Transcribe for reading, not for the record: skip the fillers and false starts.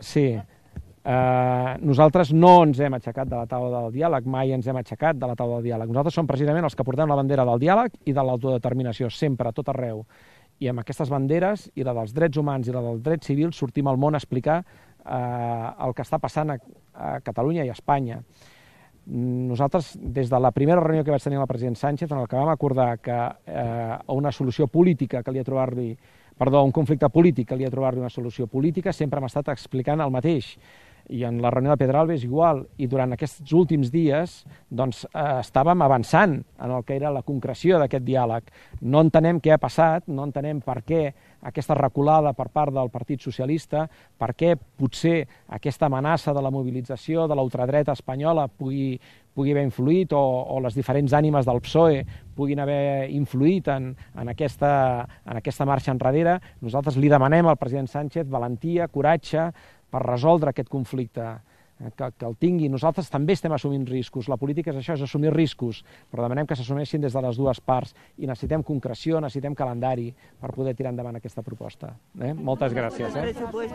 Sí. Nosaltres no ens hem aixecat de la taula del diàleg, mai ens hem aixecat de la taula del diàleg. Nosaltres som precisament els que portem la bandera del diàleg i de l'autodeterminació, sempre, a tot arreu. I amb aquestes banderes, i la dels drets humans i la dels drets civils, sortim al món a explicar el que està passant a Catalunya i a Espanya. Nosaltres, des de la primera reunió que vaig tenir amb el president Sánchez, en el que vam acordar que una solució política calia trobar-li, perdó, un conflicte polític calia trobar-li una solució política, sempre hem estat explicant el mateix. I en la reunió de Pedralbes igual, i durant aquests últims dies doncs, estàvem avançant en el que era la concreció d'aquest diàleg. No entenem què ha passat, no entenem per què aquesta reculada per part del Partit Socialista, per què potser aquesta amenaça de la mobilització de la ultradreta espanyola pugui haver influït o les diferents ànimes del PSOE puguin haver influït en aquesta marxa enrere. Nosaltres li demanem al president Sánchez valentia, coratge, per resoldre aquest conflicte, que el tingui. Nosaltres també estem assumint riscos. La política és això, és assumir riscos, però demanem que s'assumeixin des de les dues parts i necessitem concreció, necessitem calendari per poder tirar endavant aquesta proposta. Moltes gràcies.